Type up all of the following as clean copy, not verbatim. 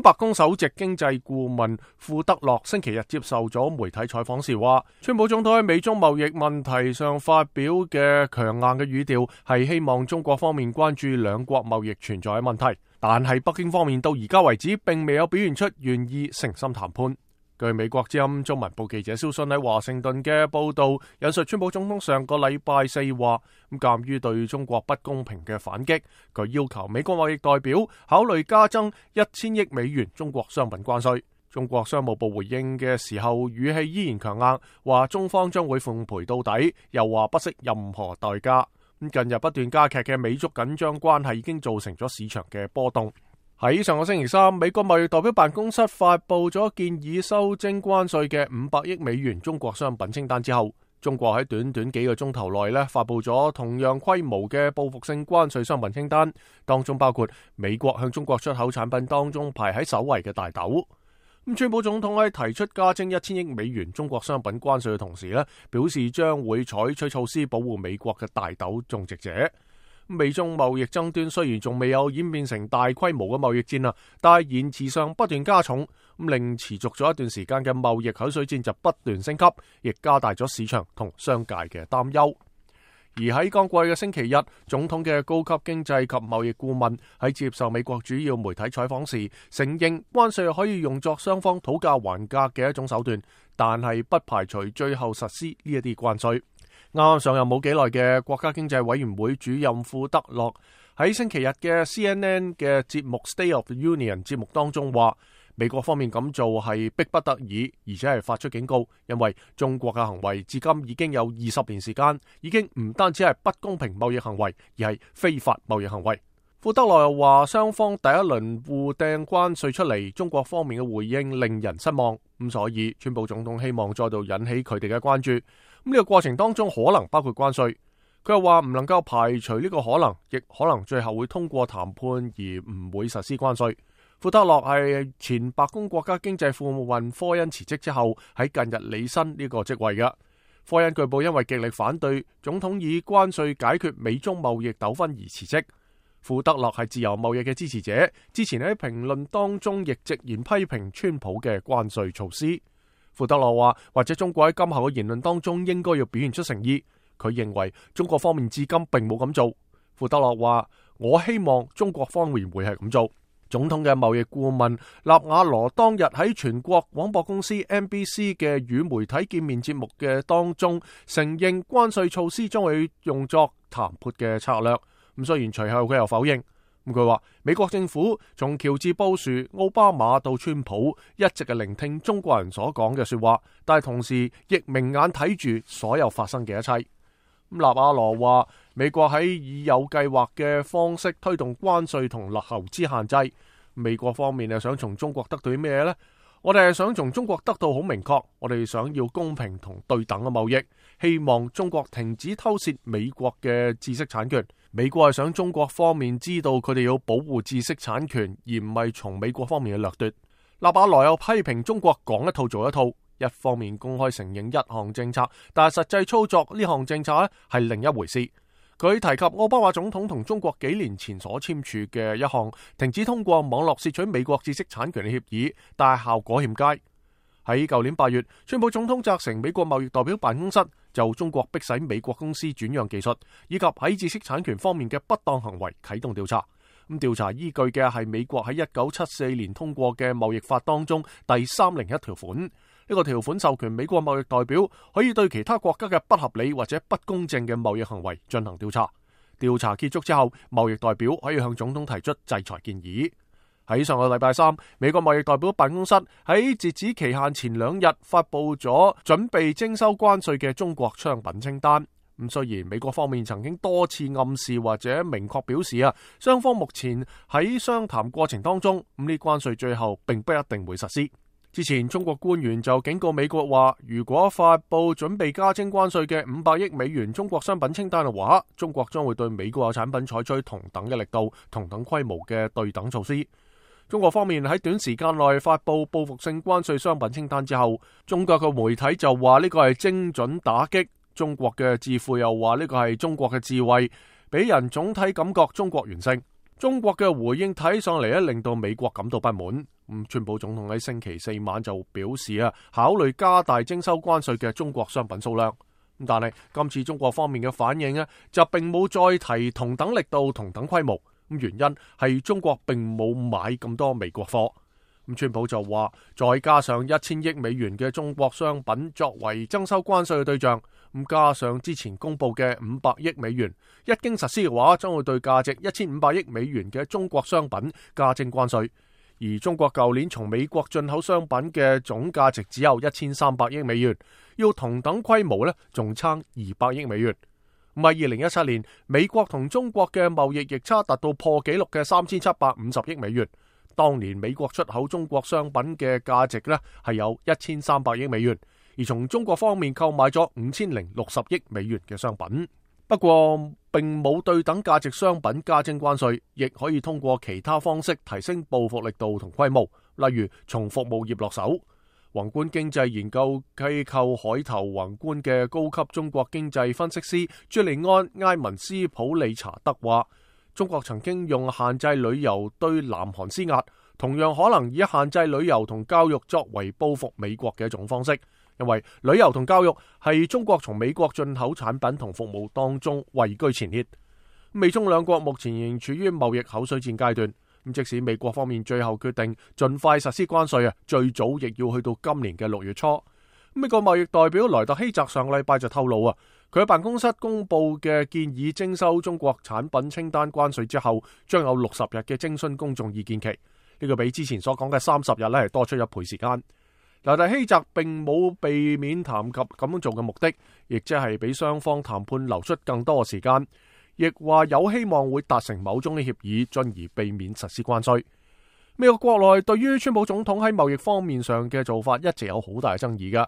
白宮首席經濟顧問庫德洛星期日接受咗媒體採訪時話，川普總統喺美中貿易問題上發表嘅強硬嘅語調係希望中國方面關注兩國貿易存在嘅問題，但係北京方面到而家為止並未有表現出願意誠心談判。據美國之音中文部記者蕭信喺華盛頓嘅報道引述川普總統上個禮拜四話，鑑於對中國不公平嘅反擊，佢要求美國貿易代表考慮加增1000億美元中國商品關稅。中國商務部回應嘅時候語氣依然強硬，話中方將會奉陪到底，又話不惜任何代價。近日不斷加劇嘅美中緊張關係已經造成咗市場嘅波動。喺上個星期三，美國貿易代表辦公室發布咗建議修徵關稅嘅500億美元中國商品清單之後，中國喺短短幾個鐘頭內發布咗同樣規模嘅報復性關稅商品清單，當中包括美國向中國出口產品當中排喺首位嘅大豆。川普總統喺提出加徵1000億美元中國商品關稅嘅同時表示將會採取措施保護美國嘅大豆種植者。美中貿易爭端雖然仲未有演變成大規模嘅貿易戰但係言辭上不斷加重，令持續咗一段時間嘅貿易口水戰就不斷升級，亦加大咗市場同商界嘅擔憂。而喺剛過去嘅星期日，總統嘅高級經濟及貿易顧問喺接受美國主要媒體採訪時，承認關稅可以用作雙方討價還價嘅一種手段，但係不排除最後實施呢一啲關稅。啱啱上任冇幾耐嘅國家經濟委員會主任庫德洛喺星期日嘅 CNN 嘅節目 State of the Union 節目當中話，美國方面咁做係迫不得已，而且係發出警告，因為中國嘅行為至今已經有20年時間，已經唔單止係不公平貿易行為，而係非法貿易行為。庫德洛又話，雙方第一輪互掟關稅出嚟，中國方面嘅回應令人失望，所以川普總統希望再度引起佢哋嘅關注。呢個過程當中可能包括關稅，佢又話唔能夠排除呢個可能，亦可能最後會通過談判而唔會實施關稅。庫德洛係前白宮國家經濟顧問科恩辭職之後喺近日履新呢個職位嘅。科恩據報因為極力反對總統以關稅解決美中貿易糾紛而辭職。庫德洛係自由貿易嘅支持者，之前喺評論當中亦直言批評川普嘅關稅措施。庫德洛話，或者中國喺今後嘅言論當中應該要表現出誠意。佢認為中國方面至今並冇咁做。庫德洛話，我希望中國方面會係咁做。總統嘅貿易顧問納瓦羅當日喺全國廣播公司 NBC 嘅與媒體見面節目嘅當中承認關稅措施將會用作談判嘅策略。雖然隨後佢又否認。佢話美國政府從喬治布殊、奧巴馬到川普一直係聆聽中國人所講嘅說話，但係同時亦明眼睇住所有發生嘅一切。納瓦羅話美國喺以有計劃嘅方式推動關稅同投資限制。美國方面係想從中國得到啲咩呢？我哋係想從中國得到好明確，我哋想要公平同對等嘅貿易，希望中國停止偷竊美國嘅知識產權。美國係想中國方面知道佢哋要保護知識產權，而唔係從美國方面嘅掠奪。納瓦羅又批評中國講一套做一套，一方面公開承認一項政策，但係實際操作呢項政策係另一回事。佢提及奧巴馬總統同中國幾年前所簽署嘅一項停止通過網絡竊取美國知識產權嘅協議，但係效果欠佳。喺舊年8月，川普總統責成美國貿易代表辦公室就中國迫使美國公司轉讓技術，以及喺知識產權方面嘅不當行為啟動調查。調查依據嘅係美國喺1974年通過嘅貿易法當中第301條款。呢個條款授權美國貿易代表可以對其他國家嘅不合理或者不公正嘅貿易行為進行調查。調查結束之後，貿易代表可以向總統提出制裁建議。喺上個禮拜三，美國貿易代表辦公室喺截止期限前2日發佈咗準備徵收關稅嘅中國商品清單。雖然美國方面曾經多次暗示或者明確表示雙方目前喺商談過程當中，呢關稅最後並不一定會實施。之前中國官員就警告美國話，如果發佈準備加徵關稅嘅500億美元中國商品清單嘅話，中國將會對美國嘅產品採取同等嘅力度、同等規模嘅對等措施。中國方面喺短時間內發佈報復性關稅商品清單之後，中國嘅媒體就話呢個係精準打擊，中國嘅智庫又話呢個係中國嘅智慧，俾人總體感覺中國完勝。中國嘅回應睇上嚟令到美國感到不滿。川普總統喺星期四晚就表示考慮加大徵收關稅嘅中國商品數量。但係今次中國方面嘅反應就並冇再提同等力度、同等規模。原因係中國並冇買咁多美國貨。川普就話，再加上1000億美元嘅中國商品作為徵收關稅嘅對象，加上之前公布嘅500億美元，一經實施嘅話，將會對價值1500億美元嘅中國商品加徵關稅。而中國舊年從美國進口商品嘅總價值只有1300億美元，要同等規模仲差200億美元。喺2017年，美國同中國嘅貿易逆差達到破紀錄嘅3750億美元。當年美國出口中國商品嘅價值係有1300億美元，而從中國方面購買咗5060億美元嘅商品。不過並冇對等價值商品加徵關稅，亦可以通過其他方式提升報復力度同規模，例如從服務業落手。宏觀經濟研究機構海投宏觀嘅高級中國經濟分析師朱利安·埃文斯普利查德話，中國曾經用限制旅遊對南韓施壓，同樣可能以限制旅遊同教育作為報復美國嘅一種方式，因為旅遊同教育係中國從美國進口產品同服務當中位居前列。美中兩國目前仍處於貿易口水戰階段，即使美國方面最後決定盡快實施關稅，最早亦要去到今年嘅6月初。美國貿易代表萊特希澤上禮拜就透露，佢喺辦公室公布嘅建議徵收中國產品清單關稅之後，將有60日嘅徵詢公眾意見期。呢個比之前所講嘅30日係多出1倍時間。萊特希澤並冇避免談及咁樣做嘅目的，亦即係俾雙方談判留出更多嘅時間，亦話有希望會達成某種嘅協議，進而避免實施關稅。美國國內對於川普總統喺貿易方面上嘅做法一直有好大嘅爭議㗎。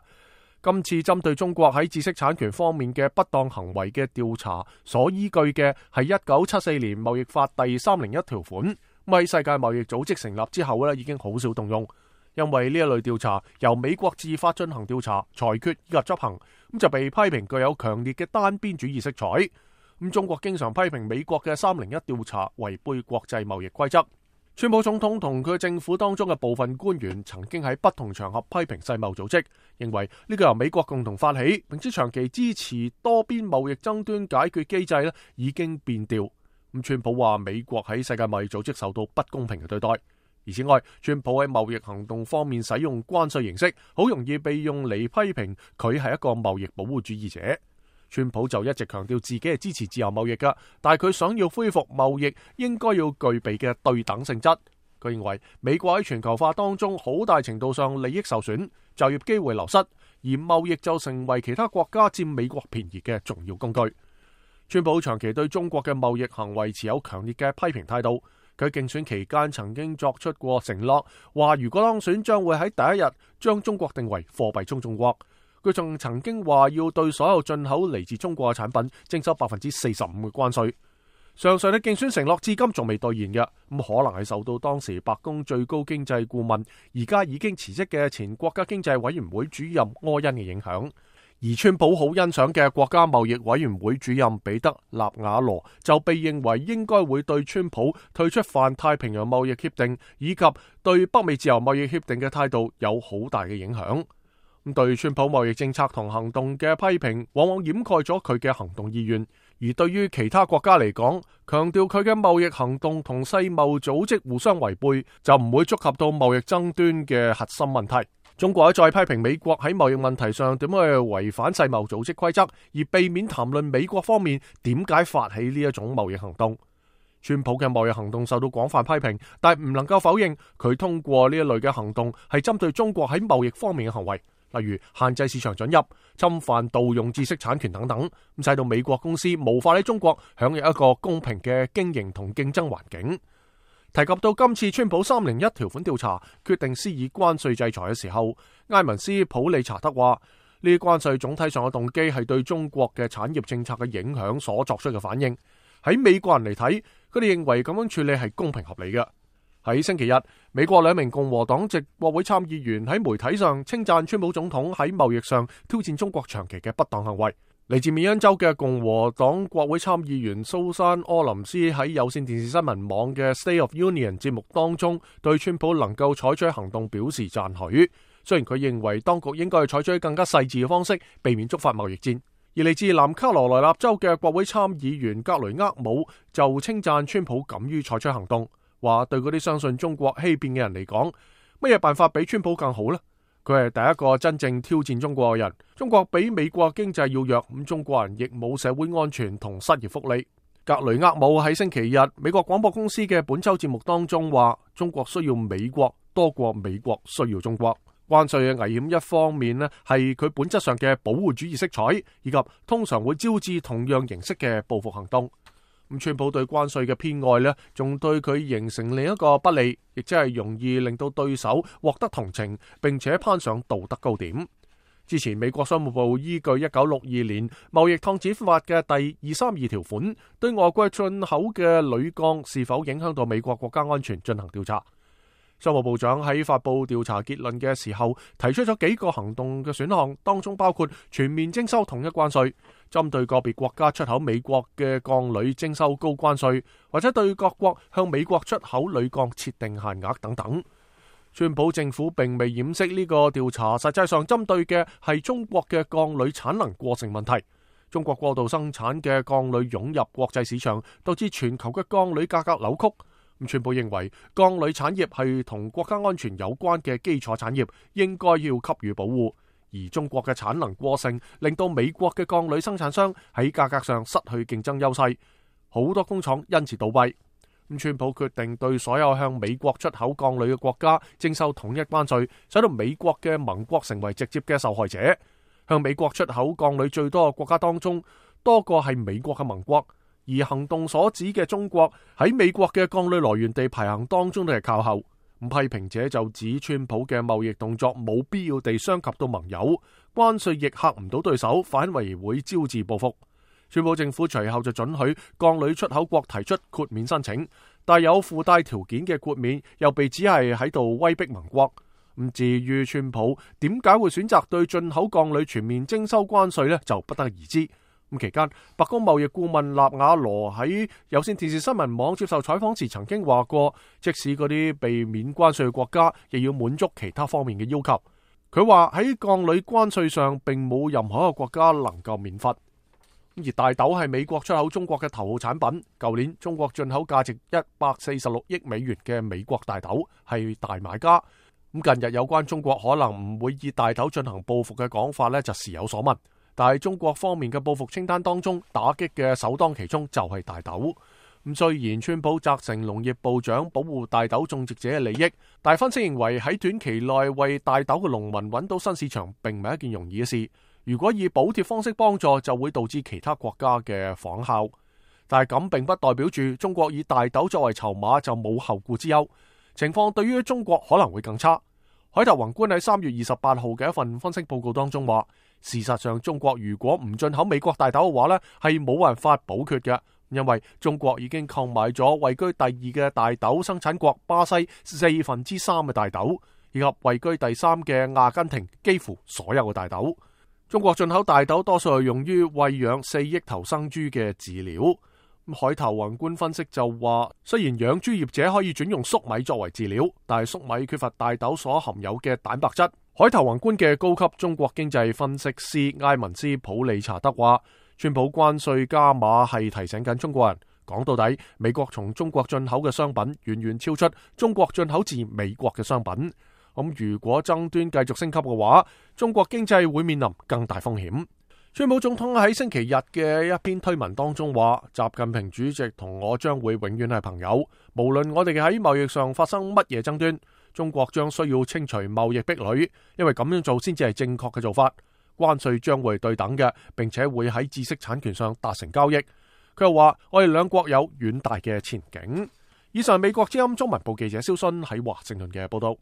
今次針對中國喺知識產權方面嘅不當行為嘅調查所依據嘅係1974年貿易法第301條款，喺世界貿易組織成立之後已經好少動用，因為呢一類調查由美國自發進行調查、裁決以及執行，就被批評具有強烈嘅單邊主義色彩。中國經常批評美國嘅301調查違背國際貿易規則。川普總統同佢政府當中嘅部分官員曾經喺不同場合批評世貿組織，認為呢個由美國共同發起，並且長期支持多邊貿易爭端解決機制已經變調。川普話美國喺世界貿易組織受到不公平嘅對待。而此外，川普喺貿易行動方面使用關稅形式，好容易被用嚟批評佢係一個貿易保護主義者。川普就一直強調自己係支持自由貿易㗎，但係佢想要恢復貿易應該要具備嘅對等性質。佢認為美國喺全球化當中好大程度上利益受損，就業機會流失，而貿易就成為其他國家佔美國便宜嘅重要工具。川普長期對中國嘅貿易行為持有強烈嘅批評態度。佢競選期間曾經作出過承諾，話如果當選將會喺第一日將中國定為貨幣中重國。佢仲曾經話要對所有進口嚟自中國嘅產品徵收45%嘅關稅。上述嘅競選承諾至今仲未兌現嘅，可能係受到當時白宮最高經濟顧問而家已經辭職嘅前國家經濟委員會主任柯恩嘅影響。而川普好欣賞嘅國家貿易委員會主任彼得納瓦羅就被認為應該會對川普退出泛太平洋貿易協定以及對北美自由貿易協定嘅態度有好大嘅影響。對川普貿易政策同行動嘅批評往往掩蓋咗佢嘅行動意願，而對於其他國家嚟講，強調佢嘅貿易行動同世貿組織互相違背，就唔會觸及到貿易爭端嘅核心問題。中國再批評美國喺貿易問題上點樣去違反世貿組織規則，而避免談論美國方面點解發起呢一種貿易行動。川普嘅貿易行動受到廣泛批評，但唔能夠否認佢通過呢一類嘅行動係針對中國喺貿易方面嘅行為。例如限制市場准入、侵犯盜用知識產權等等，使到美國公司無法喺中國享有一個公平嘅經營同競爭環境。提及到今次川普301條款調查決定施以關稅制裁嘅時候，埃文斯普利查德話：呢啲關稅總體上嘅動機係對中國嘅產業政策嘅影響所作出嘅反應。喺美國人嚟睇，佢哋認為咁樣處理係公平合理嘅。喺星期日，美國2名共和黨籍國會參議員喺媒體上稱讚川普總統喺貿易上挑戰中國長期嘅不當行為。嚟自緬因州嘅共和黨國會參議員蘇珊·柯林斯喺有線電視新聞網嘅 State of Union 節目當中，對川普能夠採取行動表示讚許。雖然佢認為當局應該採取更加細緻嘅方式，避免觸發貿易戰。而嚟自南卡羅來納州嘅國會參議員格雷厄姆就稱讚川普敢於採取行動，話對嗰啲相信中國欺騙嘅人嚟講，乜嘢辦法比川普更好呢？佢係第一個真正挑戰中國嘅人。中國比美國經濟要弱，咁中國人亦冇社會安全同失業福利。格雷厄姆喺星期日美國廣播公司嘅本周節目當中話，中國需要美國多過美國需要中國。關稅嘅危險一方面呢，係佢本質上嘅保護主義色彩，以及通常會招致同樣形式嘅報復行動。咁川普對關稅嘅偏愛呢，仲對佢形成另一個不利，亦即係容易令到對手獲得同情，並且攀上道德高點。之前美國商務部依據1962年貿易擴展法嘅第232條款，對外國進口嘅鋁鋼是否影響到美國國家安全進行調查。商務部長喺發佈調查結論嘅時候，提出咗幾個行動嘅選項，當中包括全面徵收統一關稅，針對個別國家出口美國嘅鋼鋁徵收高關稅，或者對各國向美國出口鋁鋼設定限額等等。川普政府並未掩飾呢個調查實際上針對嘅係中國嘅鋼鋁產能過剩問題。中國過度生產嘅鋼鋁湧入國際市場，導致全球嘅鋼鋁價格扭曲。川普認為鋼鋁產業係同國家安全有關嘅基礎產業，應該要給予保護。而中國嘅產能過剩，令到美國嘅鋼鋁生產商喺價格上失去競爭優勢，好多工廠因此倒閉。川普決定對所有向美國出口鋼鋁嘅國家徵收統一關稅，使到美國嘅盟國成為直接嘅受害者。向美國出口鋼鋁最多嘅國家當中，多個係美國嘅盟國。而行動所指嘅中國喺美國嘅鋼鋁來源地排行當中都係靠後。批評者就指川普嘅貿易動作冇必要地傷及到盟友，關稅亦嚇唔到對手，反為會招致報復。川普政府隨後就准許鋼鋁出口國提出豁免申請，但有附帶條件嘅豁免又被指係喺度威逼盟國。至於川普點解會選擇對進口鋼鋁全面徵收關稅呢，就不得而知。期間，白宮貿易顧問納瓦羅喺有線電視新聞網接受採訪時曾經話過，即使嗰啲被免關稅嘅國家，亦要滿足其他方面嘅要求。佢話喺鋼鋁關稅上，並冇任何一個國家能夠免罰。而大豆係美國出口中國嘅頭號產品。舊年中國進口價值146億美元嘅美國大豆係大買家。近日有關中國可能唔會以大豆進行報復嘅講法呢，就時有所聞。但係中國方面嘅報復清單當中，打擊嘅首當其衝就係大豆。雖然川普責成農業部長保護大豆種植者嘅利益，但分析認為喺短期內為大豆嘅農民揾到新市場並唔係一件容易嘅事。如果以補貼方式幫助，就會導致其他國家嘅仿效。但係咁並不代表住中國以大豆作為籌碼就冇後顧之憂。情況對於中國可能會更差。海頭宏觀喺3月28號嘅一份分析報告當中話，事實上中國如果唔進口美國大豆嘅話呢，係冇辦法補缺嘅，因為中國已經購買咗位居第2嘅大豆生產國巴西3/4嘅大豆，以及位居第3嘅阿根廷幾乎所有嘅大豆。中國進口大豆多數係用於餵養4億頭生豬嘅飼料。海頭宏觀分析就話，雖然養豬業者可以轉用粟米作為飼料，但係粟米缺乏大豆所含有嘅蛋白質。海頭宏觀嘅高級中國經濟分析師埃文斯普利查德話，川普關稅加碼係提醒緊中國人，講到底，美國從中國進口嘅商品遠遠超出中國進口自美國嘅商品。如果爭端繼續升級嘅話，中國經濟會面臨更大風險。川普總統喺星期日嘅一篇推文當中話，習近平主席同我將會永遠係朋友，無論我哋喺貿易上發生乜嘢爭端，中國將需要清除貿易壁壘，因為咁樣做先至係正確嘅做法。關稅將會對等嘅，並且會喺知識產權上達成交易。佢又話，我哋兩國有遠大嘅前景。以上美國之音中文部記者蕭勳喺華盛頓嘅報道。